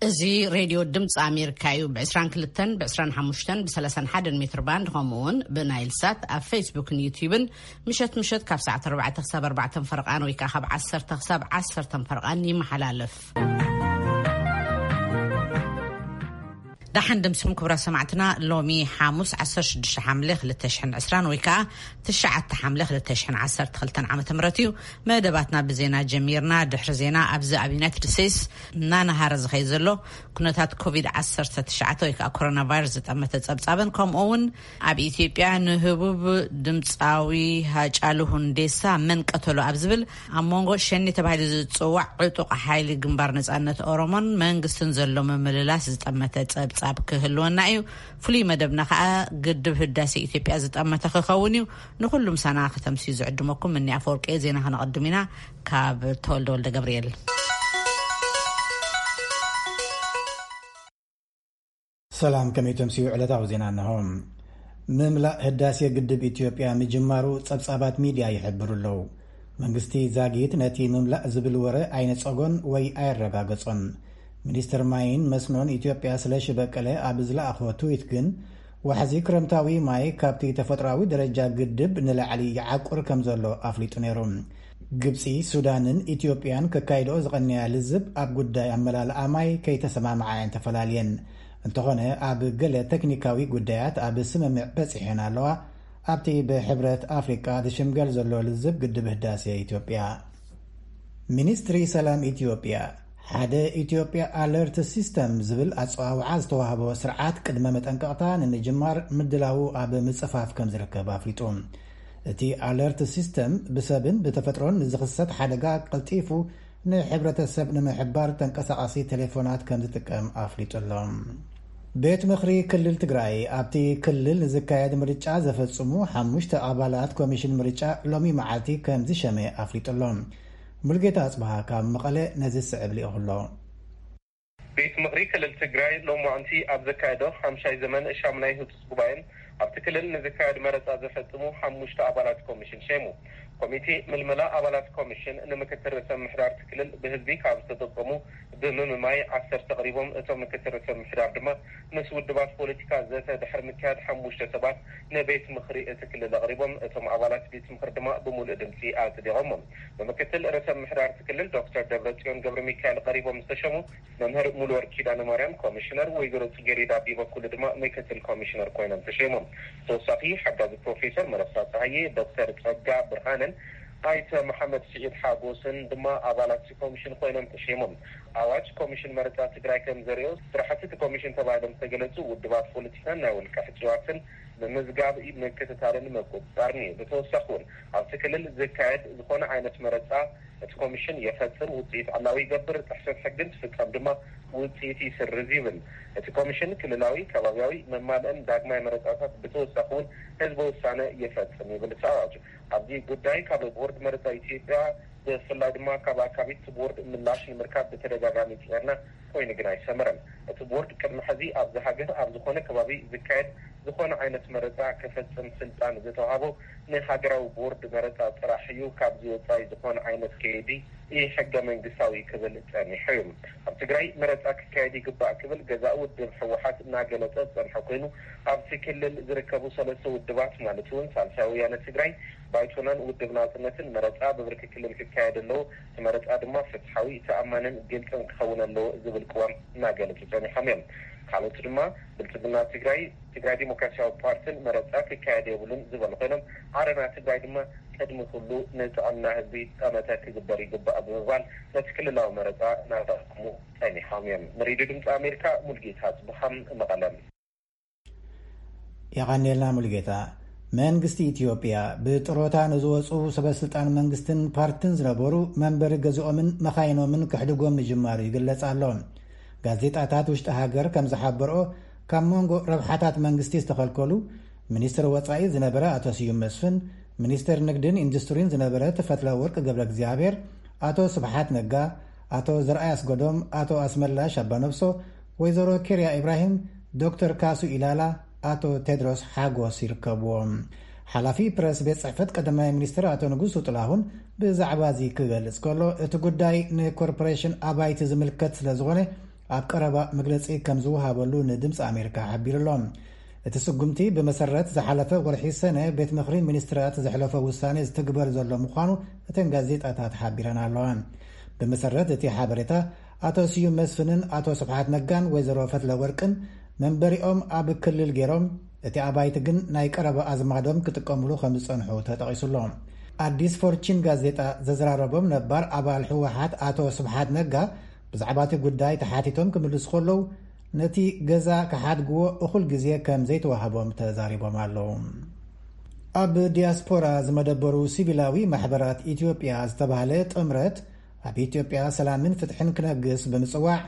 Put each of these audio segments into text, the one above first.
እዚ ሬድዮ ድምፂ ኣሜሪካ እዩ። ብ22፣ ብ25፣ ብ31 ሜትር ባንድ፣ ከምኡ እውን ብናይል ሳት ኣብ ፌስቡክን ዩቲዩብን ምሸት ምሸት ካብ ሰዓት ኣርባዕተ ክሳብ ኣርባዕተ ፈረቓን ወይ ከዓ ካብ ዓሰርተ ክሳብ ዓሰርተ ፈረቓን ይመሓላለፍ። ደሓን ድምስኹም ክቡራት ሰማዕትና። ሎሚ ሓሙስ ዓሰርተ ሽዱሽተ ሓምለ ክልተ ሽሕን ዕስራን ወይ ከዓ ትሽዓተ ሓምለ ክልተ ሽሕን ዓሰርተ ክልተን ዓመተ ምህረት እዩ። መደባትና ብዜና ጀሚርና። ድሕሪ ዜና ኣብዚ ኣብ ዩናይትድ ስቴትስ እናነሃረ ዝኸይ ዘሎ ኩነታት ኮቪድ ዓሰርተ ትሽዓተ ወይ ከዓ ኮሮና ቫይረስ ዝጠመተ ጸብጻብን ከምኡ እውን ኣብ ኢትዮጵያ ንህቡብ ድምፃዊ ሃጫሉ ሁንዴሳ መን ቀተሎ ኣብ ዝብል ኣብ መንጎ ሸኔ ተባሂሉ ዝፅዋዕ ዕጡቕ ሓይሊ ግንባር ነፃነት ኦሮሞን መንግስትን ዘሎ ምምልላስ ዝጠመተ ጸብጻብ ክህልወና እዩ። ፍሉይ መደብና ከዓ ግድብ ህዳሴ ኢትዮጵያ ዝጠመተ ክኸውን እዩ። ንኹሉም ሳና ከተምስዩ ዝዕድመኩም እኒ ኣፈወርቂ ዜና ከነቐድም ኢና። ካብ ተወልደ ወልደ ገብርኤል። ሰላም፣ ከመይ ተምስዩ? ዕለታዊ ዜና እንሆ። ምምላእ ህዳሴ ግድብ ኢትዮጵያ ምጅማሩ ጸብጻባት ሚድያ ይሕብሩ ኣለዉ። መንግስቲ ዛጊት ነቲ ምምላእ ዝብል ወረ ኣይነጸጎን ወይ ኣየረጋገጾን። ሚኒስትር ማይን መስኖን ኢትዮጵያ ስለሺ በቀለ ኣብ ዝለኣኾ ትዊት ግን፣ ዋሕዚ ክረምታዊ ማይ ካብቲ ተፈጥሮኣዊ ደረጃ ግድብ ንላዕሊ ይዓቁር ከም ዘሎ ኣፍሊጡ ነይሩ። ግብጺ፣ ሱዳንን ኢትዮጵያን ከካይድኦ ዝቐነያ ልዝብ ኣብ ጉዳይ ኣመላልኣ ማይ ከይተሰማምዓ እየን ተፈላልየን። እንተኾነ፣ ኣብ ገለ ቴክኒካዊ ጉዳያት ኣብ ስምምዕ በጺሐን ኣለዋ። ኣብቲ ብሕብረት ኣፍሪቃ ዝሽምገል ዘሎ ልዝብ ግድብ ህዳሴ ኢትዮጵያ። ሚኒስትሪ ሰላም ኢትዮጵያ፣ ሓደ ኢትዮጵያ ኣለርት ሲስተም ዝብል ኣጸዋውዓ ዝተዋህቦ ስርዓት ቅድመ መጠንቀቕታ ንምጅማር ምድላዉ ኣብ ምጽፋፍ ከም ዝርከብ ኣፍሊጡ። እቲ ኣለርት ሲስተም ብሰብን ብተፈጥሮን ንዝኽሰት ሓደጋ ቀልጢፉ ንሕብረተሰብ ንምሕባር ተንቀሳቓሲ ቴሌፎናት ከም ዝጥቀም ኣፍሊጡ ኣሎ። ቤት ምኽሪ ክልል ትግራይ ኣብቲ ክልል ንዝካየድ ምርጫ ዘፈጽሙ ሓሙሽተ ኣባላት ኮሚሽን ምርጫ ሎሚ መዓልቲ ከም ዝሸመ ኣፍሊጡ ኣሎ። ሙልጌታ ኣጽብሃ ካብ መቐለ ነዚ ዝስዕብ ልኢኹ ኣሎ። ቤት ምኽሪ ክልል ትግራይ ሎማዕንቲ ኣብ ዘካየዶ ሓምሻይ ዘመን ሻሙናይ ህጹጽ ጉባኤን ኣብቲ ክልል ንዝካየድ መረጻ ዘፈጽሙ ሓሙሽተ ኣባላት ኮሚሽን ሸይሙ። ኮሚቴ ምልመላ ኣባላት ኮሚሽን ንምክትል ርእሰ ምምሕዳር እቲ ክልል ብህዝቢ ካብ ዝተጠቆሙ ብምምማይ ዓሰርተ ኣቕሪቦም። እቶም ምክትል ርእሰ ምምሕዳር ድማ ምስ ውድባት ፖለቲካ ዘተ ድሕሪ ምክያድ ሓሙሽተ ሰባት ንቤት ምኽሪ እቲ ክልል ኣቕሪቦም። እቶም ኣባላት ቤት ምኽሪ ድማ ብምሉእ ድምፂ ኣጽዲቖሞ። ብምክትል ርእሰ ምምሕዳር እቲ ክልል ዶክተር ደብረጽዮን ገብረ ሚካኤል ቀሪቦም ዝተሸሙ መምህር ሙሉወርቅ ኪዳነ ማርያም ኮሚሽነር፣ ወይዘሮ ጽጌሬዳ ቢበኩሉ ድማ ምክትል ኮሚሽነር ኮይኖም ተሸይሞም። ተወሳኺ ሓጋዚ ፕሮፌሰር መረሳ ጸሃየ፣ ዶክተር ጸጋ ብርሃንን ኣይተ መሓመድ ስዒድ ሓጎስን ድማ ኣባላት እቲ ኮሚሽን ኮይኖም ተሸይሞም። ኣዋጅ ኮሚሽን መረጻ ትግራይ ከም ዘርእዮ፣ ስራሕቲ እቲ ኮሚሽን ተባሂሎም ዝተገለጹ ውድባት ፖለቲካን ናይ ውልቀ ሕጽዋትን ምምዝጋብ፣ ምክትታልን ምቁጽጻርን እዩ። ብተወሳኺ እውን ኣብቲ ክልል ዝካየድ ዝኾነ ዓይነት መረጻ እቲ ኮሚሽን የፈጽም፣ ውጽኢት ዕላዊ ይገብር፣ ጥሕሰት ሕግን ትፍጸም ድማ ውጽኢት ይስርዝ ይብል። እቲ ኮሚሽን ክልላዊ፣ ከባብያዊ፣ መማልእን ዳግማይ መረጻታት ብተወሳኺ እውን ህዝበ ውሳነ ይፈጽም ይብል እቲ ኣዋጅ። ኣብዚ ጉዳይ ካብ ቦርድ መረጻ ኢትዮጵያ ብፍላይ ድማ ካብ ኣካቢት ቦርድ ምላሽ ንምርካብ ብተደጋጋሚ ጽዒርና ኮይኑ ግን ኣይሰመረን። እቲ ቦርድ ቅድሚ ሕዚ ኣብዚ ሃገር ኣብ ዝኾነ ከባቢ ዝካየድ ዝኾነ ዓይነት መረጻ ክፈጽም ስልጣን ዝተዋሃቦ ንሃገራዊ ቦርድ መረጻ ጥራሕ እዩ። ካብዚ ወጻኢ ዝኾነ ዓይነት ከይዲ ኢ ሕገ መንግስታዊ ክብል ጸኒሑ እዩ። ኣብ ትግራይ መረጻ ክካየድ ይግባእ ክብል ገዛኢ ውድብ ህወሓት እናገለጸ ዝጸንሐ ኮይኑ፣ ኣብቲ ክልል ዝርከቡ ሰለስተ ውድባት ማለት እውን ሳልሳይ ወያነ ትግራይ፣ ባይቶናን ውድብ ናጽነትን መረጻ ብብርኪ ክልል ክካየድ ኣለዎ። እቲ መረጻ ድማ ፍትሓዊ፣ ተኣማንን ግልጽን ክኸውን ኣለዎ ዝብል ቅዋም እናገለጹ ጸኒሖም እዮም። ካልኦት ድማ ብልጽግና ትግራይ፣ ትግራይ ዲሞክራሲያዊ ፓርቲን መረጻ ክካየድ የብሉን ዝበሉ ኮይኖም፣ ዓረና ትግራይ ድማ ቅድሚ ኩሉ ንጥዕና ህዝቢ ጠመተ ክግበር ይግባእ ብምባል ነቲ ክልላዊ መረጻ እናተቃወሙ ጸኒሖም እዮም። ንሬድዮ ድምፂ ኣሜሪካ ሙልጌታ ጽቡሃም መቐለም። የቐኔልና ሙሉጌታ። መንግስቲ ኢትዮጵያ ብጥሮታ ንዝወፁ ሰበስልጣን መንግስትን ፓርትን ዝነበሩ መንበሪ ገዝኦምን መኻይኖምን ክሕድጎም ምጅማሩ ይግለጽ ኣሎ። ጋዜጣታት ውሽጢ ሃገር ከም ዝሓበርኦ፣ ካብ መንጎ ረብሓታት መንግስቲ ዝተኸልከሉ ሚኒስትር ወጻኢ ዝነበረ ኣቶ ስዩም መስፍን፣ ሚኒስትር ንግድን ኢንዱስትሪን ዝነበረ ተፈትለ ወርቅ ገብረ እግዚኣብሔር፣ ኣቶ ስብሓት ነጋ፣ ኣቶ ዘርኣይ ኣስገዶም፣ ኣቶ ኣስመላሽ ኣባነብሶ፣ ወይዘሮ ኬርያ ኢብራሂም፣ ዶክተር ካሱ ኢላላ፣ ኣቶ ቴድሮስ ሓጎስ ይርከብዎም። ሓላፊ ፕረስ ቤት ጽሕፈት ቀዳማይ ሚኒስትር ኣቶ ንጉሱ ጥላሁን ብዛዕባ እዚ ክገልጽ ከሎ፣ እቲ ጉዳይ ንኮርፖሬሽን ኣባይቲ ዝምልከት ስለ ዝኾነ፣ ኣብ ቀረባ መግለጺ ከም ዝወሃበሉ ንድምፂ ኣሜሪካ ሓቢሩ ኣሎ። እቲ ስጉምቲ ብመሰረት ዝሓለፈ ወርሒ ሰነ ቤት ምኽሪ ሚኒስትራት ዘሕለፎ ውሳኔ ዝትግበር ዘሎ ምዃኑ እተን ጋዜጣታት ሓቢረን ኣለዋ። ብመሰረት እቲ ሓበሬታ፣ ኣቶ ስዩም መስፍንን ኣቶ ስብሓት ነጋን ወይዘሮ ፈትለ ወርቅን መንበሪኦም ኣብ ክልል ገይሮም፣ እቲ ኣባይቲ ግን ናይ ቀረባ ኣዝማዶም ክጥቀምሉ ከም ዝጸንሑ ተጠቒሱ ኣሎ። ኣዲስ ፎርቺን ጋዜጣ ዘዘራረቦም ነባር ኣባል ህወሓት ኣቶ ስብሓት ነጋ ብዛዕባ እቲ ጉዳይ ተሓቲቶም ክምልሱ ከለዉ፣ ነቲ ገዛ ክሓድግዎ እኹል ግዜ ከም ዘይተዋህቦም ተዛሪቦም ኣለዉ። ኣብ ዲያስፖራ ዝመደበሩ ሲቪላዊ ማሕበራት ኢትዮጵያ ዝተባህለ ጥምረት፣ ኣብ ኢትዮጵያ ሰላምን ፍትሕን ክነግስ ብምጽዋዕ፣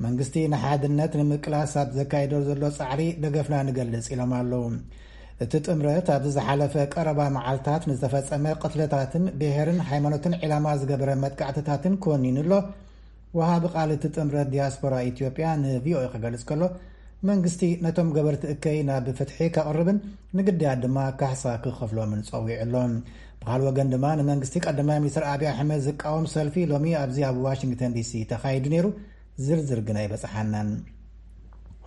መንግስቲ ንሓድነት ንምቅላስ ኣብ ዘካየዶ ዘሎ ጻዕሪ ደገፍና ንገልጽ ኢሎም ኣለዉ። እቲ ጥምረት ኣብዚ ዝሓለፈ ቀረባ መዓልታት ንዝተፈጸመ ቅትለታትን ብሄርን ሃይማኖትን ዒላማ ዝገበረ መጥቃዕትታትን ኮኒኑ ኣሎ። ወሃቢ ቃል እቲ ጥምረት ዲያስፖራ ኢትዮጵያ ንቪኦኤ ክገልጽ ከሎ፣ መንግስቲ ነቶም ገበርቲ እከይ ናብ ፍትሒ ከቕርብን ንግዳያት ድማ ካሕሳ ክኸፍሎምን ጸዊዑ ኣሎ። ብኻልእ ወገን ድማ ንመንግስቲ ቀዳማይ ሚኒስትር ኣብይ ኣሕመድ ዝቃወም ሰልፊ ሎሚ ኣብዚ ኣብ ዋሽንግተን ዲሲ ተኻይዱ ነይሩ። ዝርዝር ግን ኣይበጽሓናን።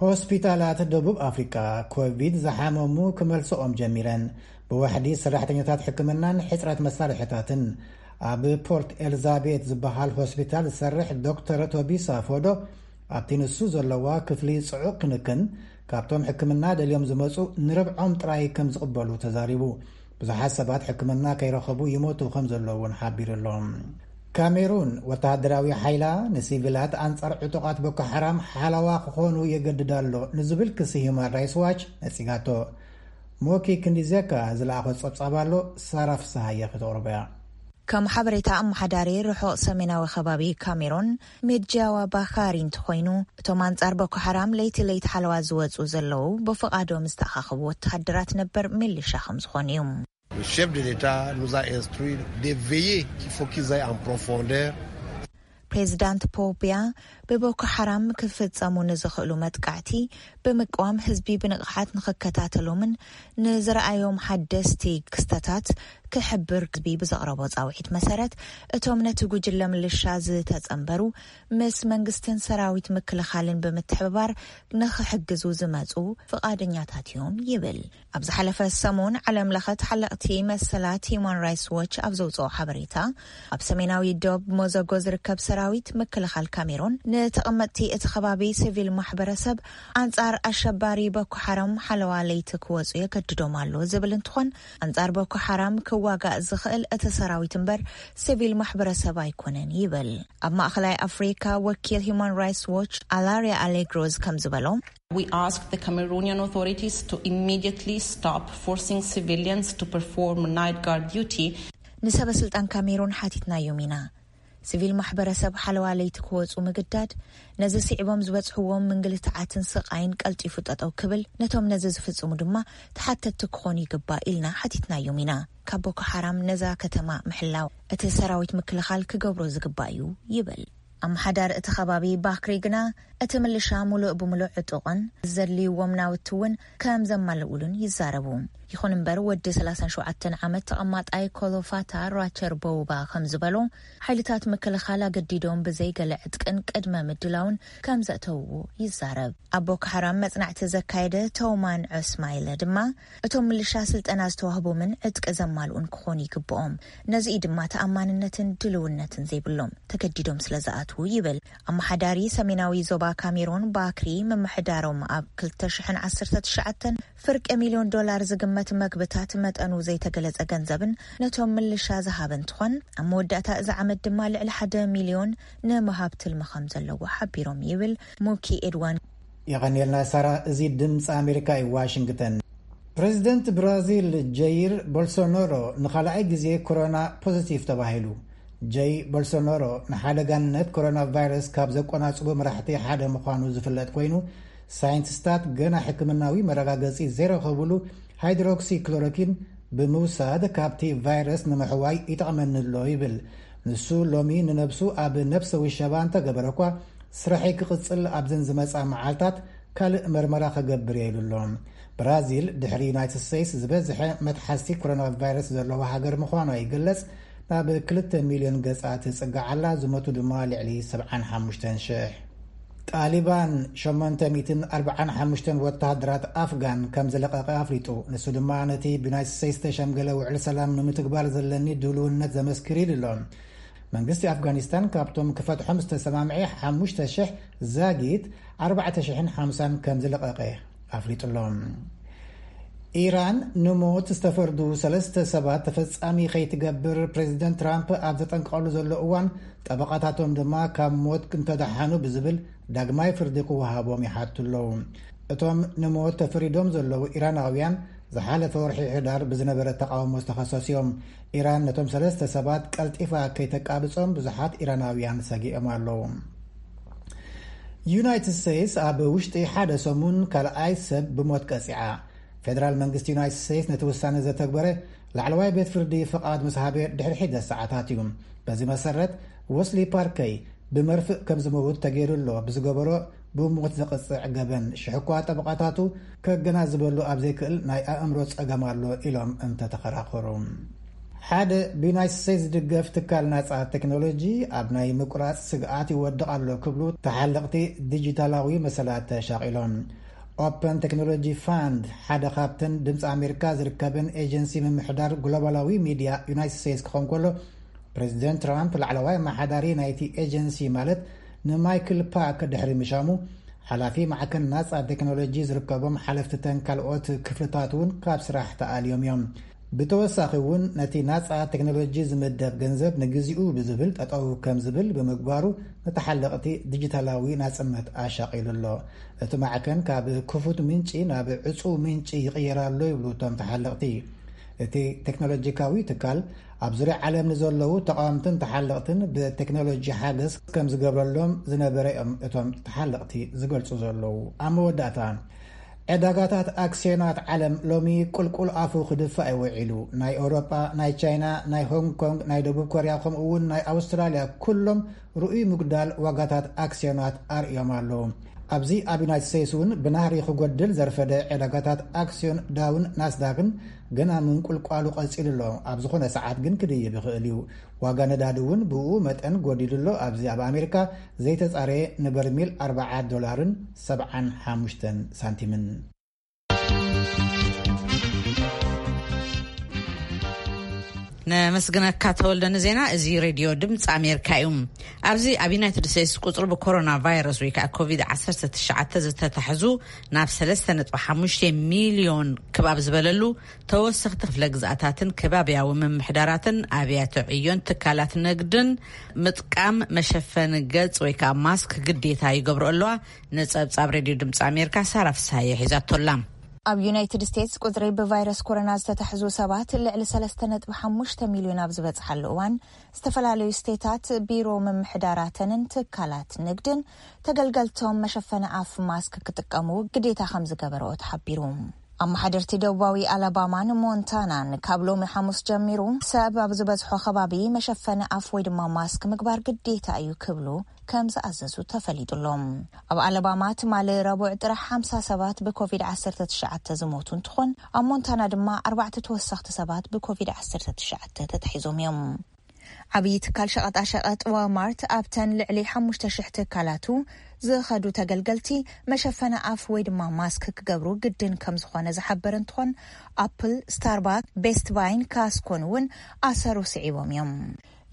ሆስፒታላት ደቡብ ኣፍሪካ ኮቪድ ዝሓመሙ ክመልስኦም ጀሚረን። ብዋሕዲ ሰራሕተኛታት ሕክምናን ሕፅረት መሳርሕታትን ኣብ ፖርት ኤልዛቤት ዝበሃል ሆስፒታል ዝሰርሕ ዶክተር ቶቢሳ ፎዶ፣ ኣብቲ ንሱ ዘለዋ ክፍሊ ጽዑቕ ክንክን፣ ካብቶም ሕክምና ደልዮም ዝመጹ ንርብዖም ጥራይ ከም ዝቕበሉ ተዛሪቡ። ብዙሓት ሰባት ሕክምና ከይረኸቡ ይሞቱ ከም ዘለዉ እውን ሓቢሩ ኣሎ። ካሜሩን፣ ወተሃደራዊ ሓይላ ንሲቪላት ኣንጻር ዕጡቓት ቦኮ ሓራም ሓለዋ ክኾኑ የገድድ ኣሎ ንዝብል ክሲ ሂዩማን ራይትስ ዋች ነጺጋቶ። ሞኪ ክንዲዜካ ዝለኣኾ ጸብጻብ ኣሎ፣ ሳራ ፍስሃየ ክተቕርቦ እያ። ከም ሓበሬታ ኣመሓዳሪ ርሑቕ ሰሜናዊ ከባቢ ካሜሮን፣ ሜድጃዋ ባኻሪ እንተኾይኑ፣ እቶም ኣንጻር ቦኮ ሓራም ለይቲ ለይቲ ሓለዋ ዝወጹ ዘለዉ ብፍቓዶም ዝተኣኻኸቡ ወተሃደራት ነበር ሚሊሻ ከም ዝኾኑ እዩ። Le chef de l'État nous a instruit de veiller qu'il faut qu'ils aillent en profondeur. ፕሬዚዳንት ፖው ቢያ ብቦኮ ሓራም ክፍጸሙ ንዝኽእሉ መጥቃዕቲ ብምቅዋም ህዝቢ ብንቕሓት ንኽከታተሎምን ንዝረኣዮም ሓደስቲ ክስተታት ክሕብር ህዝቢ ብዘቕረቦ ጻውዒት መሰረት፣ እቶም ነቲ ጉጅለ ምልሻ ዝተጸንበሩ ምስ መንግስትን ሰራዊት ምክልኻልን ብምትሕብባር ንኽሕግዙ ዝመጹ ፍቓደኛታት እዮም ይብል። ኣብ ዝሓለፈ ሰሙን ዓለም ለኸ ተሓለቕቲ መሰላት ሂዩማን ራይትስ ዎች ኣብ ዘውፅኦ ሓበሬታ፣ ኣብ ሰሜናዊ ዶብ ሞዘጎ ዝርከብ ሰራዊት ምክልኻል ካሜሮን ንተቐመጥቲ እቲ ከባቢ ሲቪል ማሕበረሰብ ኣንጻር ኣሸባሪ ቦኮ ሓራም ሓለዋ ለይቲ ክወፁ የገድዶም ኣሎ ዝብል እንትኾን፣ ኣንጻር ቦኮ ሓራም ክዋጋእ ዝኽእል እቲ ሰራዊት እምበር ሲቪል ማሕበረሰብ ኣይኮነን ይብል። ኣብ ማእኸላይ ኣፍሪካ ወኪል ሂዩማን ራይትስ ዎች ኣላሪያ ኣሌግሮዝ ከም ዝበሎ፣ We ask the Cameroonian authorities to immediately stop forcing civilians to perform night guard duty. ንሰበ ስልጣን ካሜሩን ሓቲትናዮም ኢና። ሲቪል ማሕበረሰብ ሓለዋ ለይቲ ክወፁ ምግዳድ፣ ነዚ ስዒቦም ዝበፅሕዎም ምንግልትዓትን ስቓይን ቀልጢፉ ጠጠው ክብል፣ ነቶም ነዚ ዝፍፅሙ ድማ ተሓተትቲ ክኾኑ ይግባእ ኢልና ሓቲትናዮም ኢና። ካብ ቦኮ ሓራም ነዛ ከተማ ምሕላው እቲ ሰራዊት ምክልኻል ክገብሮ ዝግባእ እዩ ይብል። ኣመሓዳሪ እቲ ከባቢ ባክሪ ግና፣ እቲ ምልሻ ሙሉእ ብሙሉእ ዕጡቕን ዘድልይዎም ናውቲ እውን ከም ዘማልኡሉን ይዛረቡ። ይኹን እምበር፣ ወዲ ሰላሳን ሸውዓተን ዓመት ተቐማጣይ ኮሎፋታ ራቸር ቦውባ ከም ዝበሎ፣ ሓይልታት ምክልኻል ኣገዲዶም ብዘይ ገለ ዕጥቅን ቅድመ ምድላውን ከም ዘእተውዎ ይዛረብ። ኣብ ቦኮ ሓራም መጽናዕቲ ዘካየደ ቶማን ዑስማይለ ድማ፣ እቶም ምልሻ ስልጠና ዝተዋህቦምን ዕጥቂ ዘማልኡን ክኾኑ ይግብኦም። ነዚ እዩ ድማ ተኣማንነትን ድልውነትን ዘይብሎም፣ ተገዲዶም ስለ ዝኣትዉ ይብል። ኣመሓዳሪ ሰሜናዊ ዞባ ካሜሮን ባክሪ፣ ምምሕዳሮም ኣብ ክልተ ሽሕን ዓሰርተ ትሽዓተን ፍርቂ ሚልዮን ዶላር ዝግመት መግብታት መጠኑ ዘይተገለጸ ገንዘብን ነቶም ምልሻ ዝሃበ እንትኾን፣ ኣብ መወዳእታ እዚ ዓመት ድማ ልዕሊ ሓደ ሚልዮን ንምሃብ ትልሚ ከም ዘለዎ ሓቢሮም ይብል ሙኪ ኤድዋን። የቐንየልና ሳራ። እዚ ድምፂ ኣሜሪካ እዩ፣ ዋሽንግተን። ፕሬዚደንት ብራዚል ጀይር ቦልሶናሮ ንኻልኣይ ግዜ ኮሮና ፖዚቲቭ ተባሂሉ። ጀይ ቦልሶናሮ ንሓደጋነት ኮሮና ቫይረስ ካብ ዘቆናጽቡ መራሕቲ ሓደ ምዃኑ ዝፍለጥ ኮይኑ፣ ሳይንቲስታት ገና ሕክምናዊ መረጋገጺ ዘይረኸብሉ ሃይድሮክሲክሎሮኪን ብምውሳድ ካብቲ ቫይረስ ንምሕዋይ ይጠቕመኒ ኣሎ ይብል። ንሱ ሎሚ ንነብሱ ኣብ ነብሰ ውሸባ እንተገበረ እኳ፣ ስራሐይ ክቕጽል ኣብዘን ዝመጻ መዓልታት ካልእ መርመራ ክገብር እየ ኢሉ ኣሎ። ብራዚል ድሕሪ ዩናይትድ ስቴትስ ዝበዝሐ መትሓዝቲ ኮሮና ቫይረስ ዘለዋ ሃገር ምዃና ይግለጽ። ናብ ክልተ ሚልዮን ገጻ ትጽጋዕ ኣላ፣ ዝሞቱ ድማ ልዕሊ ሰብዓን ሓሙሽተን ሽሕ። ጣሊባን ሸሞንተ ሚእትን ኣርባዓን ሓሙሽተን ወተሃደራት ኣፍጋን ከም ዝለቐቐ ኣፍሊጡ። ንሱ ድማ ነቲ ብዩናይትድ ስቴትስ ዝተሸምገለ ውዕል ሰላም ንምትግባር ዘለኒ ድልውነት ዘመስክር ኢሉ ኣሎ። መንግስቲ ኣፍጋኒስታን ካብቶም ክፈትሖም ዝተሰማምዐ ሓሙሽተ ሽሕ ዛጊት ኣርባዕተ ሽሕን ሓምሳን ከም ዝለቐቐ ኣፍሊጡ ኣሎ። ኢራን ንሞት ዝተፈርዱ ሰለስተ ሰባት ተፈጻሚ ከይትገብር ፕሬዚደንት ትራምፕ ኣብ ዘጠንቀቐሉ ዘሎ እዋን፣ ጠበቓታቶም ድማ ካብ ሞት እንተደሓኑ ብዝብል ዳግማይ ፍርዲ ክወሃቦም ይሓቱ ኣለዉ። እቶም ንሞት ተፈሪዶም ዘለዉ ኢራናውያን ዝሓለፈ ወርሒ ሕዳር ብዝነበረ ተቓውሞ ዝተኸሰሱ እዮም። ኢራን ነቶም ሰለስተ ሰባት ቀልጢፋ ከይተቃብጾም ብዙሓት ኢራናውያን ሰጊኦም ኣለዉ። ዩናይትድ ስቴትስ ኣብ ውሽጢ ሓደ ሰሙን ካልኣይ ሰብ ብሞት ቀጺዓ። ፌደራል መንግስቲ ዩናይትድ ስቴትስ ነቲ ውሳነ ዘተግበረ ላዕለዋይ ቤት ፍርዲ ፍቓድ ምስ ሃበ ድሕሪ ሒደት ሰዓታት እዩ። በዚ መሰረት፣ ወስሊ ፓርከይ ብመርፍእ ከም ዝመውት ተገይሩ ኣሎ ብዝገበሮ ብሞት ዘቕጽዕ ገበን፣ ሽሕ እኳ ጠበቓታቱ ከገናዝበሉ ኣብ ዘይክእል ናይ ኣእምሮ ጸገም ኣሎ ኢሎም እንተተኸራኸሩ። ሓደ ብዩናይትድ ስቴትስ ዝድገፍ ትካል ናጻ ቴክኖሎጂ ኣብ ናይ ምቁራጽ ስግኣት ይወድቕ ኣሎ ክብሉ ተሓለቕቲ ዲጂታላዊ መሰላት ተሻቒሎም። ኦፐን ቴክኖሎጂ ፋንድ ሓደ ካብተን ድምፂ ኣሜሪካ ዝርከበን ኤጀንሲ ምምሕዳር ግሎባላዊ ሚድያ ዩናይትድ ስቴትስ ክኸውን ከሎ፣ ፕሬዚደንት ትራምፕ ላዕለዋይ ኣመሓዳሪ ናይቲ ኤጀንሲ ማለት ንማይክል ፓክ ድሕሪ ምሻሙ፣ ሓላፊ ማዕከን ናጻ ቴክኖሎጂ ዝርከቦም ሓለፍትተን ካልኦት ክፍልታት እውን ካብ ስራሕ ተኣልዮም እዮም። ብተወሳኺ እውን ነቲ ናጻ ቴክኖሎጂ ዝምደብ ገንዘብ ንግዚኡ ብዝብል ጠጠው ከም ዝብል ብምግባሩ፣ ንተሓለቕቲ ዲጂታላዊ ናጽነት ኣሻቒሉ ኣሎ። እቲ ማዕከን ካብ ክፉት ምንጪ ናብ ዕጹው ምንጪ ይቕየር ኣሎ ይብሉ እቶም ተሓለቕቲ። እቲ ቴክኖሎጂካዊ ትካል ኣብ ዙርያ ዓለም ንዘለዉ ተቓወምትን ተሓለቕትን ብቴክኖሎጂ ሓገዝ ከም ዝገብረሎም ዝነበረ እዮም እቶም ተሓለቕቲ ዝገልጹ ዘለዉ። ኣብ መወዳእታ፣ ዕዳጋታት ኣክስዮናት ዓለም ሎሚ ቁልቁል ኣፉ ክድፋእ ይውዒሉ። ናይ ኤውሮጳ፣ ናይ ቻይና፣ ናይ ሆንግ ኮንግ፣ ናይ ደቡብ ኮርያ፣ ከምኡ እውን ናይ ኣውስትራልያ ኩሎም ርኡይ ምጉዳል ዋጋታት ኣክስዮናት ኣርእዮም ኣለዉ። ኣብዚ ኣብ ዩናይትድ ስቴትስ እውን ብናህሪ ክጎድል ዘርፈደ ዕዳጋታት ኣክስዮን ዳውን ናስዳክን ገና ምንቁልቋሉ ቀጺሉ ኣሎ። ኣብ ዝኾነ ሰዓት ግን ክድይብ ይኽእል እዩ። ዋጋ ነዳዲ እውን ብኡ መጠን ጎዲሉ ኣሎ። ኣብዚ ኣብ ኣሜሪካ ዘይተጻረየ ንበርሚል ኣርብዓ ዶላርን ሰብዓን ሓሙሽተን ሳንቲምን። ነመስግነካ ተወልደ ንዜና። እዚ ሬድዮ ድምፂ ኣሜሪካ እዩ። ኣብዚ ኣብ ዩናይትድ ስቴትስ ቁፅሪ ብኮሮና ቫይረስ ወይ ከዓ ኮቪድ ዓሰርተ ትሽዓተ ዝተታሕዙ ናብ ሰለስተ ነጥቢ ሓሙሽተ ሚልዮን ክባብ ዝበለሉ ተወሰኽቲ ክፍለ ግዝኣታትን ከባብያዊ ምምሕዳራትን ኣብያተ ዕዮን ትካላት ንግድን ምጥቃም መሸፈኒ ገጽ ወይ ከዓ ማስክ ግዴታ ይገብሩ ኣለዋ። ንጸብጻብ ሬድዮ ድምፂ ኣሜሪካ ሳራ ፍስሃየ ሒዛቶላ። ኣብ ዩናይትድ ስቴትስ ቁፅሪ ብቫይረስ ኮሮና ዝተታሕዙ ሰባት ልዕሊ ሰለስተ ነጥቢ ሓሙሽተ ሚልዮን ኣብ ዝበፅሓሉ እዋን፣ ዝተፈላለዩ ስቴታት ቢሮ ምምሕዳራተንን ትካላት ንግድን ተገልገልቶም መሸፈኒ ኣፍ ማስክ ክጥቀሙ ግዴታ ከም ዝገበረኦ ተሓቢሩ። ኣመሓደርቲ ደቡባዊ ኣላባማን ሞንታናን ካብ ሎሚ ሓሙስ ጀሚሩ ሰብ ኣብ ዝበዝሖ ከባቢ መሸፈኒ ኣፍ ወይ ድማ ማስክ ምግባር ግዴታ እዩ ክብሉ ከም ዝኣዘዙ ተፈሊጡ ኣሎ። ኣብ ኣላባማ ትማሊ ረቡዕ ጥራሕ ሓምሳ ሰባት ብኮቪድ ዓሰርተ ትሽዓተ ዝሞቱ እንትኾን፣ ኣብ ሞንታና ድማ ኣርባዕተ ተወሰኽቲ ሰባት ብኮቪድ ዓሰርተ ትሽዓተ ተታሒዞም እዮም። ዓብዪ ትካል ሸቐጣሸቐጥ ዋልማርት ኣብተን ልዕሊ ሓሙሽተ ሽሕ ትካላቱ ዝኸዱ ተገልገልቲ መሸፈኒ ኣፍ ወይ ድማ ማስክ ክገብሩ ግድን ከም ዝኾነ ዝሓበረ እንትኾን፣ ኣፕል፣ ስታርባክ፣ ቤስት ባይን ካስኮን እውን ኣሰሩ ስዒቦም እዮም።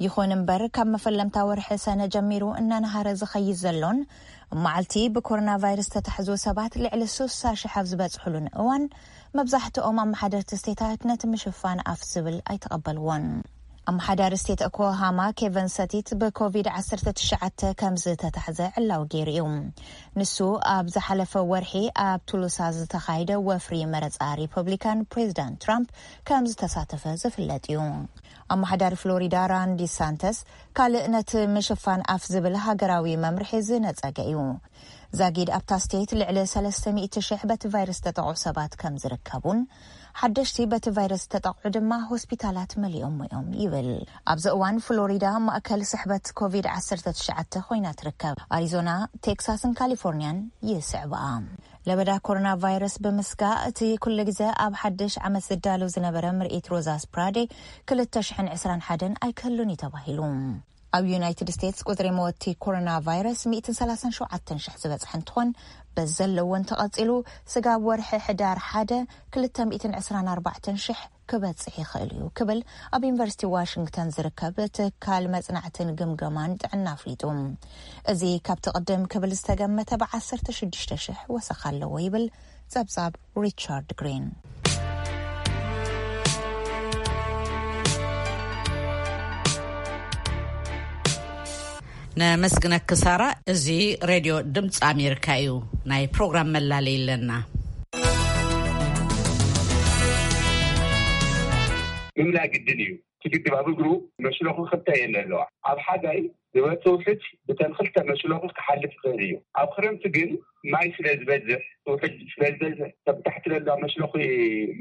ይኹን እምበር፣ ካብ መፈለምታ ወርሒ ሰነ ጀሚሩ እናነሃረ ዝኸይድ ዘሎን መዓልቲ ብኮሮና ቫይረስ ዝተታሕዙ ሰባት ልዕሊ ስሳ ሽሕ ኣብ ዝበፅሕሉን እዋን፣ መብዛሕትኦም ኣመሓደርቲ ስቴታት ነቲ ምሽፋን ኣፍ ዝብል ኣይተቐበልዎን። ኣመሓዳሪ ስቴት ኦክላሃማ ኬቨን ሰቲት ብኮቪድ ዓሰርተ ትሽዓተ ከም ዝተታሕዘ ዕላዊ ገይሩ እዩ። ንሱ ኣብ ዝሓለፈ ወርሒ ኣብ ቱሉሳ ዝተኻየደ ወፍሪ መረፃ ሪፐብሊካን ፕሬዚዳንት ትራምፕ ከም ዝተሳተፈ ዝፍለጥ እዩ። ኣመሓዳሪ ፍሎሪዳ ራን ዲሳንተስ ካልእ ነቲ ምሽፋን ኣፍ ዝብል ሃገራዊ መምርሒ ዝነጸገ እዩ። ዛጊድ ኣብታ ስቴት ልዕሊ ሰለስተ ሚእቲ ሽሕ በቲ ቫይረስ ዝተጠቕዑ ሰባት ከም ዝርከቡን፣ ሓደሽቲ በቲ ቫይረስ ዝተጠቕዑ ድማ ሆስፒታላት መሊኦም እዮም ይብል። ኣብዚ እዋን ፍሎሪዳ ማእከል ስሕበት ኮቪድ ዓሰርተ ትሽዓተ ኮይና ትርከብ። ኣሪዞና፣ ቴክሳስን ካሊፎርኒያን ይስዕባ። ለበዳ ኮሮና ቫይረስ ብምስጋእ እቲ ኩሉ ግዜ ኣብ ሓድሽ ዓመት ዝዳለው ዝነበረ ምርኢት ሮዛ ስፕራዴ ክልተ ሽሕን ዕስራን ሓደን ኣይክህሉን እዩ ተባሂሉ። ኣብ ዩናይትድ ስቴትስ ቁጽሪ መወቲ ኮሮና ቫይረስ ሚእትን ሰላሳን ሸውዓተን ሽሕ ዝበጽሐ እንትኾን፣ በዚ ዘለዎን ተቐጺሉ ስጋብ ወርሒ ሕዳር ሓደ ክልተ ሚእትን ዕስራን ኣርባዕተን ሽሕ ክበጽሕ ይኽእል እዩ ክብል ኣብ ዩኒቨርሲቲ ዋሽንግተን ዝርከብ ትካል መጽናዕትን ግምገማን ጥዕና ኣፍሊጡ። እዚ ካብቲ ቅድም ክብል ዝተገመተ ብዓሰርተ ሽዱሽተ ሽሕ ወሰኽ ኣለዎ ይብል ጸብጻብ ሪቻርድ ግሪን። ነመስግነኪ ሳራ። እዚ ሬድዮ ድምፂ ኣሜሪካ እዩ። ናይ ፕሮግራም መላለይ ኣለና። ምምላእ ግድን እዩ። እቲ ግድብ ኣብ እግሩ መሽለኹ ክልተ እየን ኣለዋ። ኣብ ሓጋይ ዝመጽእ ውሕጅ ብተን ክልተ መሽለኹ ክሓልፍ ይኽእል እዩ። ኣብ ክረምቲ ግን ማይ ስለ ዝበዝሕ፣ ውሕጅ ስለ ዝበዝሕ፣ ካብ ታሕቲ ዘለዋ መሽለኹ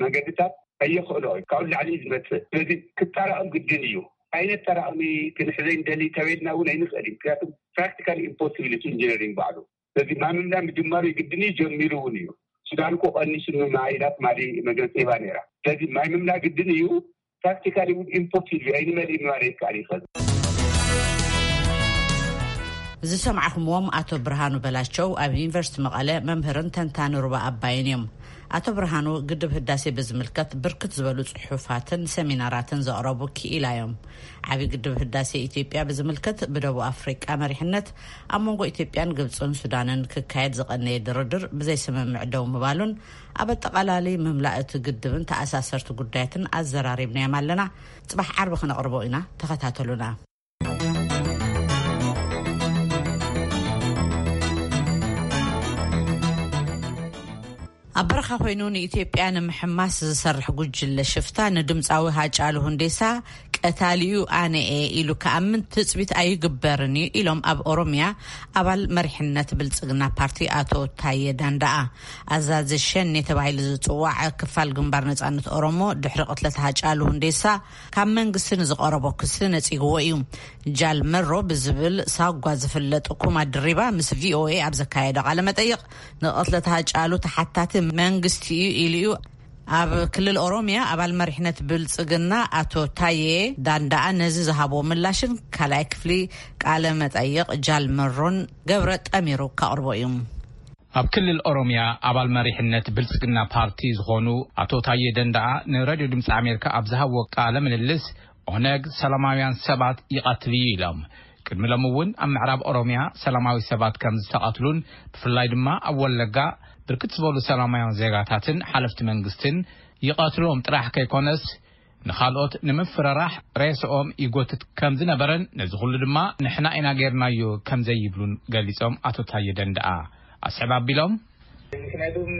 መንገድታት ኣየኽእሎ እዩ። ካብኡ ንላዕሊ እዩ ዝመጽእ። ስለዚ ክጠራቐም ግድን እዩ። ዓይነት ጠራቐሚ ክንሕዘ እንደሊ ተበልና እውን ኣይንኽእል እዩ። ምክንያቱ ፕራክቲካሊ ኢምፖሲብል እዩ፣ ኢንጂነሪንግ ባዕሉ። ስለዚ ማይ ምምላእ ምጅማሩ ግድን እዩ፣ ጀሚሩ እውን እዩ። ሱዳን እኮ ቀኒሱ ማይ ኢላ ትማሊ መግለፂ ሂባ ነይራ። ስለዚ ማይ ምምላእ ግድን እዩ። ፕራክቲካሊ እውን ኢምፖሲብል እዩ፣ ኣይንመልእን ማለት ይከኣል እዩ። ዝሰማዕኹምዎም ኣቶ ብርሃኑ በላቸው ኣብ ዩኒቨርሲቲ መቐለ መምህርን ተንታኒ ሩባ ኣባይን እዮም። ኣቶ ብርሃኑ ግድብ ህዳሴ ብዝምልከት ብርክት ዝበሉ ጽሑፋትን ሰሚናራትን ዘቕረቡ ክኢላ እዮም። ዓቢ ግድብ ህዳሴ ኢትዮጵያ ብዝምልከት ብደቡብ ኣፍሪቃ መሪሕነት ኣብ መንጎ ኢትዮጵያን ግብጽን ሱዳንን ክካየድ ዝቐነየ ድርድር ብዘይ ስምምዕ ደው ምባሉን ኣብ ኣጠቓላሊ ምምላእ እቲ ግድብን ተኣሳሰርቲ ጉዳያትን ኣዘራሪብናዮም ኣለና። ጽባሕ ዓርቢ ክነቕርቦ ኢና፣ ተኸታተሉና። ኣብ በረኻ ኮይኑ ንኢትዮጵያ ንምሕማስ ዝሰርሕ ጉጅለ ሽፍታ ንድምፃዊ ሃጫሉ ሁንዴሳ ቀታሊኡ ኣነ እየ ኢሉ ክኣምን ትፅቢት ኣይግበርን እዩ ኢሎም ኣብ ኦሮሚያ ኣባል መሪሕነት ብልፅግና ፓርቲ ኣቶ ታየ ዳንዳኣ። ኣዛዚ ሸኔ ተባሂሉ ዝፅዋዕ ክፋል ግንባር ነፃነት ኦሮሞ ድሕሪ ቅትለት ሃጫሉ ሁንዴሳ ካብ መንግስቲ ንዝቐረቦ ክሲ ነፂግዎ እዩ። ጃል መሮ ብዝብል ሳጓ ዝፍለጥ ኩማ ድሪባ ምስ ቪኦኤ ኣብ ዘካየዶ ቃለ መጠይቕ፣ ንቕትለት ሃጫሉ ተሓታቲ መንግስቲ እዩ ኢሉ እዩ። ኣብ ክልል ኦሮሚያ ኣባል መሪሕነት ብልጽግና ኣቶ ታዬ ዳንዳኣ ነዚ ዝሃቦ ምላሽን ካልኣይ ክፍሊ ቃለ መጠይቕ ጃል መሮን ገብረ ጠሚሩ ከቕርቦ እዩ። ኣብ ክልል ኦሮሚያ ኣባል መሪሕነት ብልጽግና ፓርቲ ዝኾኑ ኣቶ ታዬ ደንዳኣ ንሬድዮ ድምፂ ኣሜሪካ ኣብ ዝሃብዎ ቃለ ምልልስ፣ ኦነግ ሰላማውያን ሰባት ይቐትል እዩ ኢሎም። ቅድሚ ሎም እውን ኣብ ምዕራብ ኦሮሚያ ሰላማዊ ሰባት ከም ዝተቐትሉን ብፍላይ ድማ ኣብ ወለጋ ብርክት ዝበሉ ሰላማውያን ዜጋታትን ሓለፍቲ መንግስትን ይቐትሎም ጥራሕ ከይኮነስ ንኻልኦት ንምፍርራሕ ሬስኦም ይጎትት ከም ዝነበረን ነዚ ኩሉ ድማ ንሕና ኢና ጌርናዮ ከም ዘይብሉን ገሊጾም ኣቶ ታየ ደንደኣ ኣስዕብ ኣቢሎም። ምክንያቱም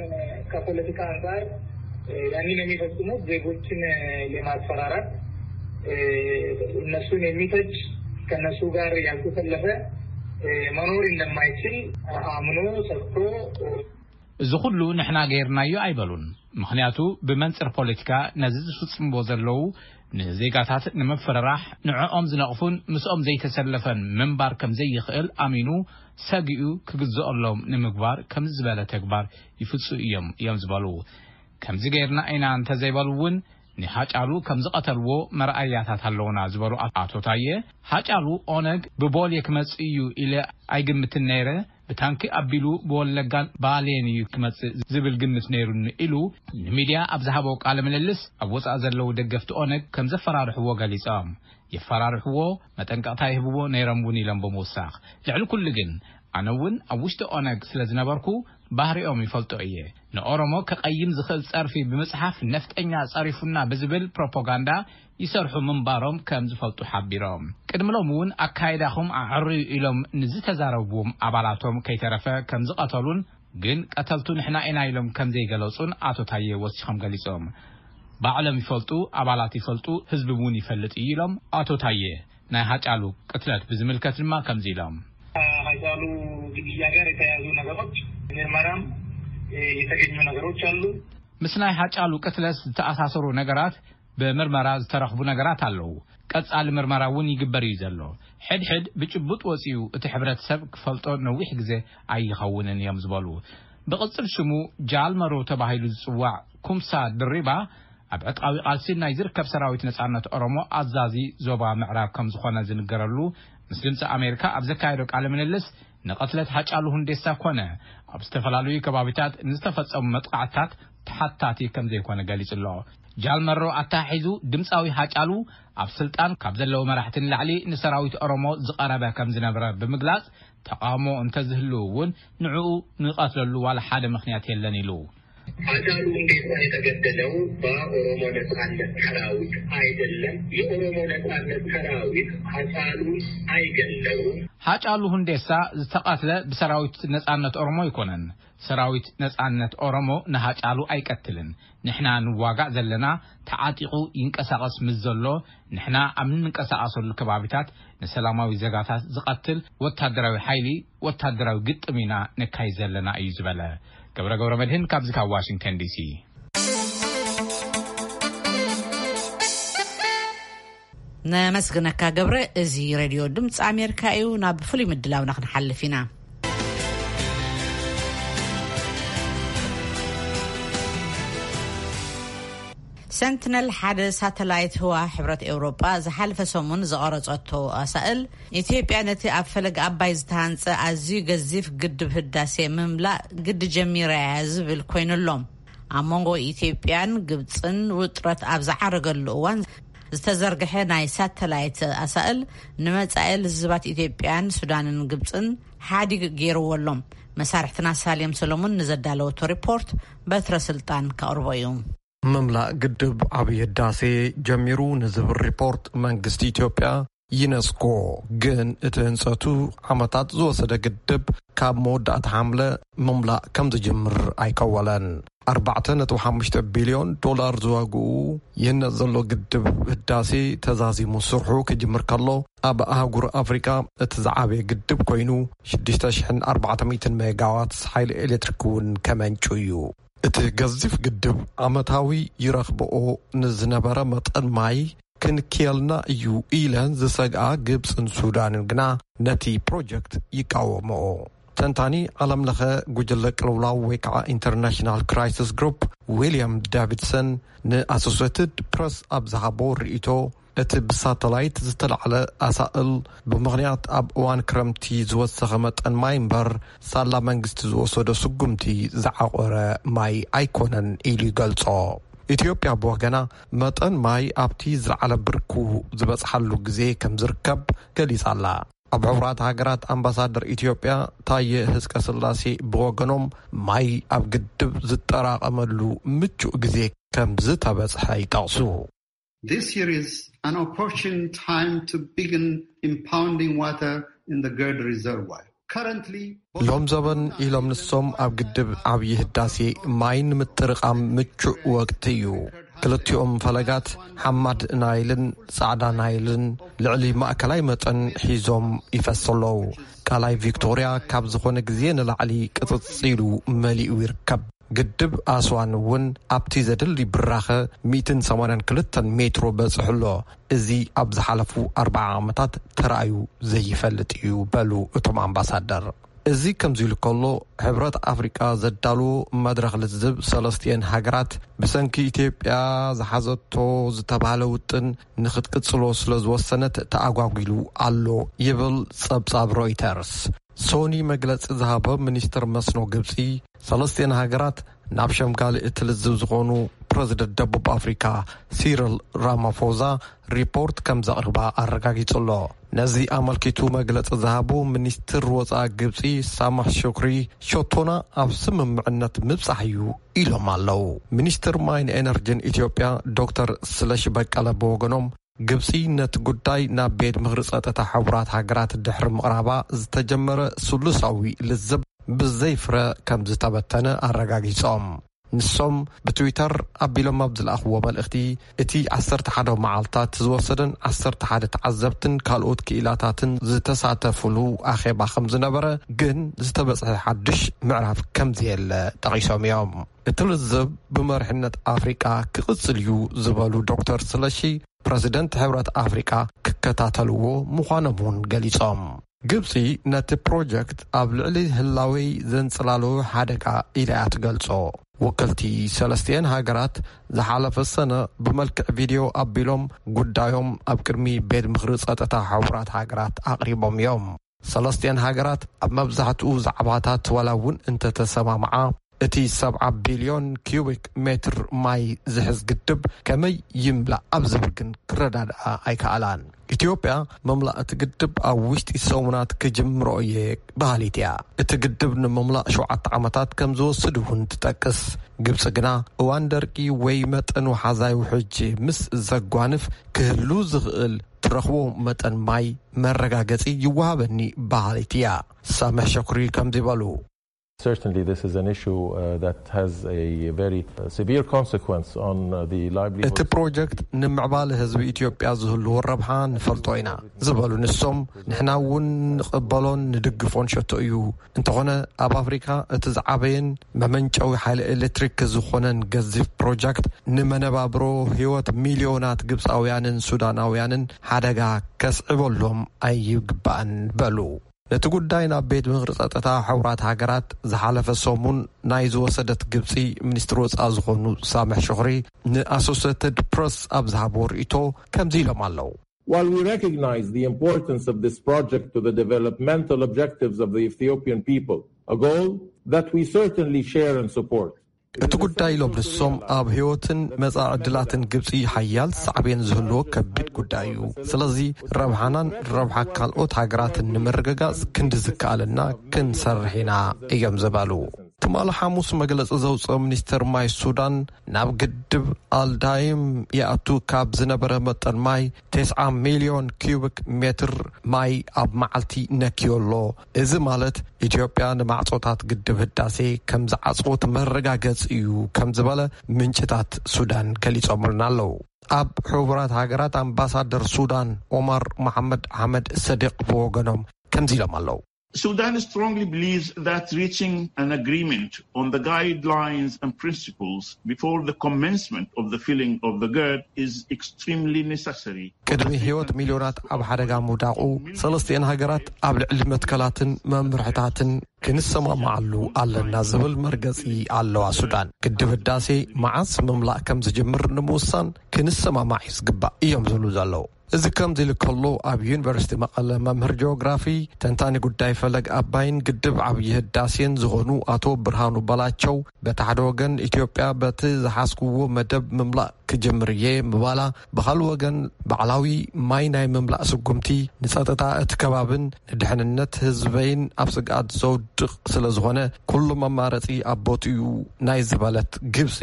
ከፖለቲካ አንጻር ያንን የሚፈጽሙት ዜጎችን የማስፈራራት፣ እነሱን የሚፈጅ፣ ከነሱ ጋር ያልተሰለፈ መኖር እንደማይችል አምኖ ሰጥቶ። እዚ ኩሉ ንሕና ገይርናዮ ኣይበሉን። ምክንያቱ ብመንጽር ፖለቲካ ነዚ ዝፍጽምዎ ዘለዉ ንዜጋታት ንምፍርራሕ ንዕኦም ዝነቕፉን ምስኦም ዘይተሰለፈን ምንባር ከም ዘይኽእል ኣሚኑ ሰጊኡ ክግዝኦሎም ንምግባር ከምዚ ዝበለ ተግባር ይፍጽኡ እዮም እዮም ዝበሉ። ከምዚ ገይርና ኢና እንተዘይበሉ እውን ንሃጫሉ ከም ዝቐተልዎ መርኣያታት ኣለውና ዝበሉ ኣቶ ታየ፣ ሃጫሉ ኦነግ ብቦሌ ክመጽእ እዩ ኢለ ኣይግምትን ነይረ፣ ብታንኪ ኣቢሉ ብወለጋን ባሌን እዩ ክመጽእ ዝብል ግምት ነይሩኒ ኢሉ ንሚድያ ኣብ ዝሃቦ ቃለ ምልልስ ኣብ ወጻኢ ዘለዉ ደገፍቲ ኦነግ ከም ዘፈራርሕዎ ገሊጾም። የፈራርሕዎ መጠንቀቕታ ይህብዎ ነይሮም እውን ኢሎም ብምውሳኽ፣ ልዕሊ ኩሉ ግን ኣነ እውን ኣብ ውሽጢ ኦነግ ስለ ዝነበርኩ ባህሪኦም ይፈልጦ እየ። ንኦሮሞ ከቐይም ዝኽእል ጸርፊ ብምጽሓፍ ነፍጠኛ ጸሪፉና ብዝብል ፕሮፓጋንዳ ይሰርሑ ምንባሮም ከም ዝፈልጡ ሓቢሮም። ቅድሚ ሎም እውን ኣካይዳኹም ኣዕርዩ ኢሎም ንዝተዛረብዎም ኣባላቶም ከይተረፈ ከም ዝቐተሉን ግን ቀተልቱ ንሕና ኢና ኢሎም ከም ዘይገለጹን ኣቶ ታየ ወሲኾም ገሊጾም። ባዕሎም ይፈልጡ፣ ኣባላት ይፈልጡ፣ ህዝቢ እውን ይፈልጥ እዩ ኢሎም ኣቶ ታየ። ናይ ሃጫሉ ቅትለት ብዝምልከት ድማ ከምዚ ኢሎም። ሃጫሉ ግድያ ጋር የተያያዙ ነገሮች ምርመራም የተገኙ ነገሮች አሉ። ምስ ናይ ሃጫሉ ቅትለት ዝተኣሳሰሩ ነገራት ብምርመራ ዝተረኽቡ ነገራት ኣለዉ። ቀጻሊ ምርመራ እውን ይግበር እዩ ዘሎ። ሕድሕድ ብጭቡጥ ወጺኡ እቲ ሕብረተሰብ ክፈልጦ ነዊሕ ግዜ ኣይኸውንን እዮም ዝበሉ። ብቕጽል ሽሙ ጃልመሮ ተባሂሉ ዝጽዋዕ ኩምሳ ድሪባ ኣብ ዕጥቃዊ ቃልሲ ናይ ዝርከብ ሰራዊት ነጻነት ኦሮሞ ኣዛዚ ዞባ ምዕራብ ከም ዝኾነ ዝንገረሉ ምስ ድምፂ ኣሜሪካ ኣብ ዘካየዶ ቃለ ምልልስ ንቐትለት ሃጫሉ ሁንዴሳ ኮነ ኣብ ዝተፈላለዩ ከባቢታት ንዝተፈጸሙ መጥቃዕታት ተሓታቲ ከም ዘይኮነ ገሊጹ ኣሎ። ጃልመሮ ኣተሓሒዙ ድምፃዊ ሃጫሉ ኣብ ስልጣን ካብ ዘለዉ መራሕቲ ንላዕሊ ንሰራዊት ኦሮሞ ዝቐረበ ከም ዝነበረ ብምግላጽ ተቃውሞ እንተዝህልው እውን ንዕኡ ንቐትለሉ ዋላ ሓደ ምኽንያት የለን ኢሉ። አጫሉ ሁንዴሳ የተገደለው በኦሮሞ ነጻነት ሰራዊት አይደለም። የኦሮሞ ነጻነት ሰራዊት አጫሉ አይገለውም። ሃጫሉ ሁንዴሳ ዝተቐትለ ብሰራዊት ነጻነት ኦሮሞ ኣይኮነን። ሰራዊት ነጻነት ኦሮሞ ንሃጫሉ ኣይቀትልን። ንሕና ንዋጋእ ዘለና ተዓጢቑ ይንቀሳቐስ ምስ ዘሎ፣ ንሕና ኣብ እንንቀሳቐሰሉ ከባቢታት ንሰላማዊ ዜጋታት ዝቐትል ወታደራዊ ሓይሊ ወታደራዊ ግጥም ኢና ነካይድ ዘለና እዩ ዝበለ ገብረ ገብረ መድህን ካብዚ ካብ ዋሽንግተን ዲሲ። ነመስግነካ ገብረ። እዚ ሬድዮ ድምፂ ኣሜሪካ እዩ። ናብ ፍሉይ ምድላውና ክንሓልፍ ኢና። ሰንትነል ሓደ ሳተላይት ህዋ ሕብረት ኤውሮጳ ዝሓለፈ ሰሙን ዝቐረጸቶ ኣሳእል፣ ኢትዮጵያ ነቲ ኣብ ፈለግ ኣባይ ዝተሃንጸ ኣዝዩ ገዚፍ ግድብ ህዳሴ ምምላእ ግዲ ጀሚራ እያ ዝብል ኮይኑሎም። ኣብ መንጎ ኢትዮጵያን ግብጽን ውጥረት ኣብ ዝዓረገሉ እዋን ዝተዘርግሐ ናይ ሳተላይት ኣሳእል ንመጻኢ ልዝባት ኢትዮጵያን ሱዳንን ግብጽን ሓዲግ ገይርዎ ኣሎ። መሳርሕትና ሳሌም ሰሎሞን ንዘዳለወቶ ሪፖርት በትረ ስልጣን ከቕርቦ እዩ። ምምላእ ግድብ ዓብዪ ህዳሴ ጀሚሩ ንዝብል ሪፖርት መንግስቲ ኢትዮጵያ፣ ዩኔስኮ፣ ግን እቲ ህንጸቱ ዓመታት ዝወሰደ ግድብ ካብ መወዳእታ ሓምለ ምምላእ ከም ዝጅምር ኣይከወለን። ኣርባዕተ ነጥቢ ሓሙሽተ ቢልዮን ዶላር ዝዋግኡ ይህነጽ ዘሎ ግድብ ህዳሴ ተዛዚሙ ስርሑ ክጅምር ከሎ፣ ኣብ ኣህጉር ኣፍሪቃ እቲ ዝዓበየ ግድብ ኮይኑ ሽዱሽተ ሽሕን ኣርባዕተ ሚእትን ሜጋዋት ሓይሊ ኤሌክትሪክ እውን ከመንጩ እዩ። እቲ ገዚፍ ግድብ ዓመታዊ ይረኽብኦ ንዝነበረ መጠን ማይ ክንክየልና እዩ ኢለን ዝሰግኣ ግብጽን ሱዳንን ግና ነቲ ፕሮጀክት ይቃወምኦ። ተንታኒ ዓለም ለኸ ጉጅለ ቅልውላው ወይ ከዓ ኢንተርናሽናል ክራይሲስ ግሩፕ ዊልያም ዳቪድሰን ንኣሶሴትድ ፕረስ ኣብ ዝሃቦ ርእይቶ፣ እቲ ብሳተላይት ዝተላዕለ ኣሳእል ብምኽንያት ኣብ እዋን ክረምቲ ዝወሰኸ መጠን ማይ እምበር ሳላ መንግስቲ ዝወሰዶ ስጉምቲ ዝዓቆረ ማይ ኣይኮነን ኢሉ ይገልጾ። ኢትዮጵያ ብወገና መጠን ማይ ኣብቲ ዝለዓለ ብርኩ ዝበጽሓሉ ግዜ ከም ዝርከብ ገሊጻ ኣላ። ኣብ ሕቡራት ሃገራት ኣምባሳደር ኢትዮጵያ ታየ ህዝቀ ስላሴ ብወገኖም ማይ ኣብ ግድብ ዝጠራቐመሉ ምቹእ ግዜ ከም ዝተበጽሐ ይጠቕሱ። This year is an opportune time to begin impounding water in the Gerd reservoir. Currently, ሎም ዘበን ኢሎም ንሶም ኣብ ግድብ ዓብዪ ህዳሴ ማይ ንምጥርቓም ምቹእ ወቅቲ እዩ። ክልቲኦም ፈለጋት ሓማድ ናይልን ጻዕዳ ናይልን ልዕሊ ማእከላይ መጠን ሒዞም ይፈሱ ኣለዉ። ቃላይ ቪክቶርያ ካብ ዝኾነ ግዜ ንላዕሊ ቅጽጽ ኢሉ መሊኡ ይርከብ። ግድብ ኣስዋን እውን ኣብቲ ዘድሊ ብራኸ ሚእትን ሰማንያን ክልተን ሜትሮ በጺሑ ኣሎ። እዚ ኣብ ዝሓለፉ ኣርብዓ ዓመታት ተራእዩ ዘይፈልጥ እዩ በሉ እቶም ኣምባሳደር። እዚ ከምዚ ኢሉ ከሎ፣ ሕብረት ኣፍሪቃ ዘዳለዎ መድረኽ ልዝብ ሰለስቲኤን ሃገራት ብሰንኪ ኢትዮጵያ ዝሓዘቶ ዝተባህለ ውጥን ንኽትቅጽሎ ስለ ዝወሰነት ተኣጓጒሉ ኣሎ ይብል ጸብጻብ ሮይተርስ። ሶኒ መግለጺ ዝሃበ ሚኒስትር መስኖ ግብጺ፣ ሰለስቲኤን ሃገራት ናብ ሸምጋሊ እቲ ልዝብ ዝኾኑ ፕረዚደንት ደቡብ ኣፍሪካ ሲሪል ራማፎዛ ሪፖርት ከም ዘቕርባ ኣረጋጊጹ ኣሎ። ነዚ ኣመልኪቱ መግለጺ ዝሃቡ ሚኒስትር ወጻኢ ግብጺ ሳማሕ ሹክሪ፣ ሸቶና ኣብ ስምምዕነት ምብጻሕ እዩ ኢሎም ኣለዉ። ሚኒስትር ማይን ኤነርጂን ኢትዮጵያ ዶክተር ስለሺ በቀለ ብወገኖም፣ ግብጺ ነቲ ጉዳይ ናብ ቤት ምኽሪ ጸጥታ ሕቡራት ሃገራት ድሕሪ ምቕራባ ዝተጀመረ ስሉሳዊ ልዝብ ብዘይ ፍረ ከም ዝተበተነ ኣረጋጊጾም። ንሶም ብትዊተር ኣቢሎም ኣብ ዝለኣኽዎ መልእኽቲ፣ እቲ ዓሰርተ ሓደ መዓልታት ዝወሰደን ዓሰርተ ሓደ ተዓዘብትን ካልኦት ክኢላታትን ዝተሳተፉሉ ኣኼባ ከም ዝነበረ፣ ግን ዝተበጽሐ ሓድሽ ምዕራፍ ከም ዘየለ ጠቒሶም እዮም። እቲ ልዝብ ብመሪሕነት ኣፍሪቃ ክቕጽል እዩ ዝበሉ ዶክተር ስለሺ፣ ፕረዚደንት ሕብረት ኣፍሪቃ ክከታተልዎ ምዃኖም እውን ገሊጾም። ግብጺ ነቲ ፕሮጀክት ኣብ ልዕሊ ህላወይ ዘንጽላሎ ሓደጋ ኢላ እያ ትገልጾ። ወከልቲ ሰለስቲኤን ሃገራት ዝሓለፈ ሰነ ብመልክዕ ቪድዮ ኣቢሎም ጉዳዮም ኣብ ቅድሚ ቤት ምኽሪ ጸጥታ ሕቡራት ሃገራት ኣቕሪቦም እዮም። ሰለስቲኤን ሃገራት ኣብ መብዛሕትኡ ዛዕባታት ዋላ እውን እንተተሰማምዓ፣ እቲ ሰብዓ ቢልዮን ኪዩቢክ ሜትር ማይ ዝሕዝ ግድብ ከመይ ይምላእ ኣብ ዝብል ግን ክረዳድኣ ኣይከኣላን። ኢትዮጵያ ምምላእ እቲ ግድብ ኣብ ውሽጢ ሰሙናት ክጅምሮ እየ በሃሊት እያ። እቲ ግድብ ንምምላእ ሸውዓተ ዓመታት ከም ዝወስድ እውን ትጠቅስ። ግብፂ ግና እዋን ደርቂ ወይ መጠን ወሓዛይ ውሕጅ ምስ ዘጓንፍ ክህሉ ዝኽእል ትረኽቦ መጠን ማይ መረጋገፂ ይወሃበኒ በሃሊት እያ። ሳምሕ ሸኩሪ ከምዚ በሉ። Certainly, this is an issue uh, that has a very uh, severe consequence on uh, the livelihood. እቲ ፕሮጀክት ንምዕባለ ህዝቢ ኢትዮጵያ ዝህልዎ ረብሓ ንፈልጦ ኢና ዝበሉ ንሶም፣ ንሕና እውን ንቕበሎን ንድግፎን ሸቶ እዩ። እንተኾነ ኣብ ኣፍሪካ እቲ ዝዓበየን መመንጨዊ ሓይሊ ኤሌክትሪክ ዝኾነን ገዚፍ ፕሮጀክት ንመነባብሮ ህይወት ሚልዮናት ግብፃውያንን ሱዳናውያንን ሓደጋ ከስዕበሎም ኣይግባእን በሉ። ነቲ ጉዳይ ናብ ቤት ምኽሪ ጸጥታ ሕቡራት ሃገራት ዝሓለፈ ሰሙን ናይ ዝወሰደት ግብጺ፣ ሚኒስትሪ ወጻኢ ዝኾኑ ሳምሕ ሽኹሪ ንኣሶሴትድ ፕረስ ኣብ ዝሃብዎ ርእይቶ ከምዚ ኢሎም ኣለዉ። While we recognize the importance of this project to the developmental objectives of the Ethiopian people, a goal that we certainly share and support, እቲ ጉዳይ ኢሎም ንሶም ኣብ ህይወትን መጻኢ ዕድላትን ግብጺ ሓያል ሳዕቤን ዝህልዎ ከቢድ ጉዳይ እዩ። ስለዚ ረብሓናን ረብሓ ካልኦት ሃገራትን ንምርግጋጽ ክንዲ ዝከኣለና ክንሰርሕ ኢና እዮም ዝበሉ። ትማሊ ሓሙስ መግለጺ ዘውፅኦ ሚኒስተር ማይ ሱዳን ናብ ግድብ ኣልዳይም ይኣቱ ካብ ዝነበረ መጠን ማይ ተስዓ ሚልዮን ኪዩቢክ ሜትር ማይ ኣብ መዓልቲ ነክዮ ኣሎ። እዚ ማለት ኢትዮጵያ ንማዕጾታት ግድብ ህዳሴ ከም ዝዓጽወት መረጋገጺ እዩ ከም ዝበለ ምንጭታት ሱዳን ገሊጾምልና ኣለዉ። ኣብ ሕቡራት ሃገራት ኣምባሳደር ሱዳን ኦማር መሓመድ ኣሕመድ ሰዲቕ ብወገኖም ከምዚ ኢሎም ኣለዉ። Sudan strongly believes that reaching an agreement on the guidelines and principles before the commencement of the filling of the GERD is extremely necessary. ቅድሚ ህይወት ሚልዮናት ኣብ ሓደጋ ምውዳቑ፣ ሰለስቲኤን ሃገራት ኣብ ልዕሊ መትከላትን መምርሕታትን ክንሰማማዓሉ ኣለና ዝብል መርገጺ ኣለዋ። ሱዳን ግድብ ህዳሴ መዓስ ምምላእ ከም ዝጅምር ንምውሳን ክንሰማማዕ እዩ ዝግባእ እዮም ዝብሉ ዘለዉ። እዚ ከምዚ ኢሉ ከሎ፣ ኣብ ዩኒቨርሲቲ መቐለ መምህር ጂኦግራፊ፣ ተንታኒ ጉዳይ ፈለግ ኣባይን ግድብ ዓብዪ ህዳሴን ዝኾኑ ኣቶ ብርሃኑ በላቸው፣ በቲ ሓደ ወገን ኢትዮጵያ በቲ ዝሓዝክዎ መደብ ምምላእ ክጅምር እየ ምባላ፣ ብኻልእ ወገን ባዕላዊ ማይ ናይ ምምላእ ስጉምቲ ንጸጥታ እቲ ከባብን ንድሕንነት ህዝበይን ኣብ ስግኣት ዘውድቕ ስለ ዝኾነ፣ ኩሉ መማረጺ ኣብ ቦትኡ ናይ ዝበለት ግብጺ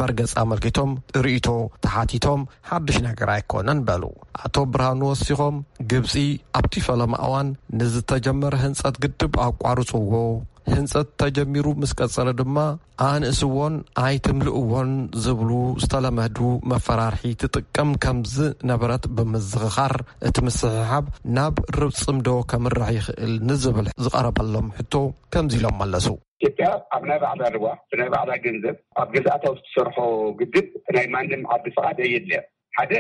መርገጺ ኣመልኪቶም ርእይቶ ተሓቲቶም፣ ሓድሽ ነገር ኣይኮነን በሉ። ኣቶ ብርሃኑ ወሲኾም፣ ግብጺ ኣብቲ ፈለማ እዋን ንዝተጀመረ ህንጸት ግድብ ኣቋርጽዎ፣ ህንጸት ተጀሚሩ ምስ ቀጸለ ድማ ኣንእስዎን ኣይትምልእዎን ዝብሉ ዝተለመዱ መፈራርሒ ትጥቀም ከም ዝነበረት ብምዝኽኻር፣ እቲ ምስሕሓብ ናብ ርብጽምዶ ከምርሕ ይኽእል ንዝብል ዝቐረበሎም ሕቶ ከምዚ ኢሎም መለሱ። ኢትዮጵያ ኣብ ናይ ባዕላ ርዋ ብናይ ባዕላ ገንዘብ ኣብ ገዛእታ ውስጥ ትሰርሖ ግድብ ናይ ማንም ዓዲ ፍቓድ ኣየድልያን። ሓደ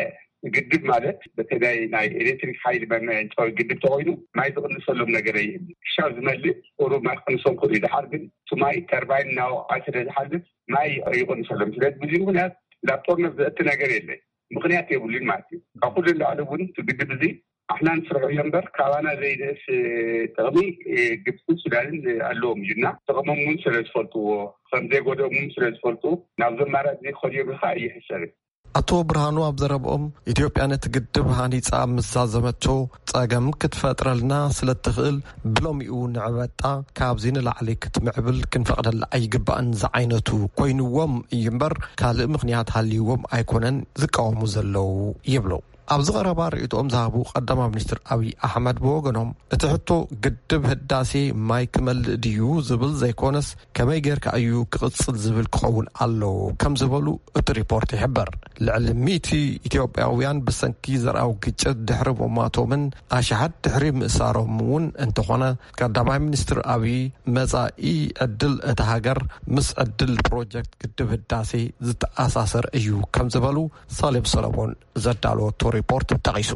ግድብ ማለት በተለይ ናይ ኤሌክትሪክ ሓይሊ መመንጨዊ ግድብ ተኮይኑ ማይ ዝቕንሰሎም ነገር የህል ክሻብ ዝመልእ ቁሩብ ማይ ክቕንሶም ክእሉ እዩ። ድሓር ግን እቲ ማይ ተርባይን እናወቕዐ ስለ ዝሓልፍ ማይ ይቕንሰሎም። ስለዚ ብዙ ምክንያት ናብ ጦርነት ዘእቲ ነገር የለን። ምክንያት የብሉን ማለት እዩ። ካብ ኩሉ ንላዕሊ እውን እቲ ግድብ እዚ ኣሕና ንስርሖ እዮ እምበር ካባና ዘይንእስ ጥቕሚ ግብፅን ሱዳንን ኣለዎም እዩ እና ጥቕሞም እውን ስለ ዝፈልጥዎ ከም ዘይጎደኦም እውን ስለ ዝፈልጡ ናብዞም ማራት እዚ ክኸድዮም ኢልካ ኣይሕሰብን። ኣቶ ብርሃኑ ኣብ ዘረብኦም፣ ኢትዮጵያ ነቲ ግድብ ሃኒጻ ምስ ዛዘመቶ ጸገም ክትፈጥረልና ስለ እትኽእል ብሎሚኡ ንዕበጣ ካብዚ ንላዕሊ ክትምዕብል ክንፈቕደላ ኣይግባእን ዝዓይነቱ ኮይንዎም እዩ እምበር ካልእ ምኽንያት ሃልይዎም ኣይኮነን ዝቃወሙ ዘለዉ ይብሉ። ኣብዚ ቀረባ ርእይቶኦም ዝሃቡ ቀዳማይ ሚኒስትር ኣብይ ኣሕመድ ብወገኖም፣ እቲ ሕቶ ግድብ ህዳሴ ማይ ክመልእ ድዩ ዝብል ዘይኮነስ፣ ከመይ ጌርካ እዩ ክቕጽል ዝብል ክኸውን ኣለዎ ከም ዝበሉ እቲ ሪፖርት ይሕበር። ልዕሊ ሚእቲ ኢትዮጵያውያን ብሰንኪ ዘርኣዊ ግጭት ድሕሪ ምሟቶምን ኣሽሓት ድሕሪ ምእሳሮም እውን እንተኾነ፣ ቀዳማይ ሚኒስትር ኣብይ መጻኢ ዕድል እታ ሃገር ምስ ዕድል ፕሮጀክት ግድብ ህዳሴ ዝተኣሳሰር እዩ ከም ዝበሉ ሳሌም ሰለሞን ዘዳለወቶ ሪፖርት ጠቒሱ።